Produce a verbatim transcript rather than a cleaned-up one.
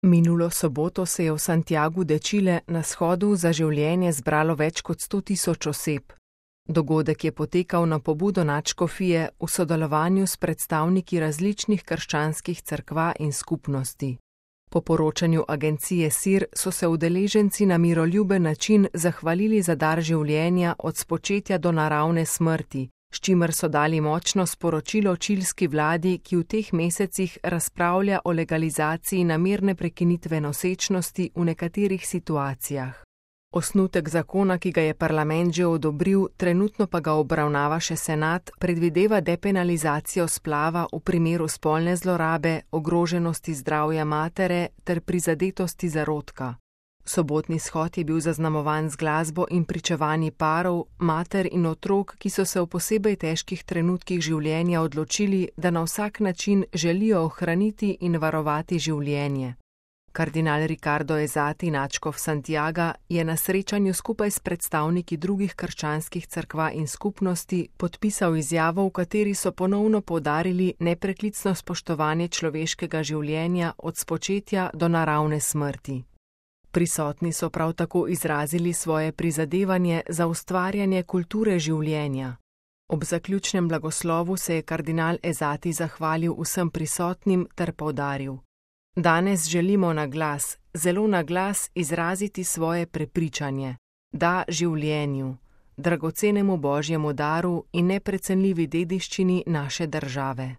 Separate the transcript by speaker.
Speaker 1: Minulo soboto se je v Santiagu de Chile na shodu za življenje zbralo več kot sto tisoč oseb. Dogodek je potekal na pobudo nadškofije v sodelovanju s predstavniki različnih krščanskih cerkva in skupnosti. Po poročanju agencije S I R so se udeleženci na miroljuben način zahvalili za dar življenja od spočetja do naravne smrti, s čimer so dali močno sporočilo čilski vladi, ki v teh mesecih razpravlja o legalizaciji namerne prekinitve nosečnosti v nekaterih situacijah. Osnutek zakona, ki ga je parlament že odobril, trenutno pa ga obravnava še senat, predvideva depenalizacijo splava v primeru spolne zlorabe, ogroženosti zdravja matere ter prizadetosti zarodka. Sobotni shod je bil zaznamovan z glasbo in pričevanji parov, mater in otrok, ki so se v posebej težkih trenutkih življenja odločili, da na vsak način želijo ohraniti in varovati življenje. Kardinal Ricardo Ezati, nadškof Santiaga, je na srečanju skupaj s predstavniki drugih krščanskih cerkva in skupnosti podpisal izjavo, v kateri so ponovno poudarili nepreklicno spoštovanje človeškega življenja od spočetja do naravne smrti. Prisotni so prav tako izrazili svoje prizadevanje za ustvarjanje kulture življenja. Ob zaključnem blagoslovu se je kardinal Ezati zahvalil vsem prisotnim ter poudaril: Danes želimo na glas, zelo na glas izraziti svoje prepričanje, da življenju, dragocenemu božjemu daru in neprecenljivi dediščini naše države.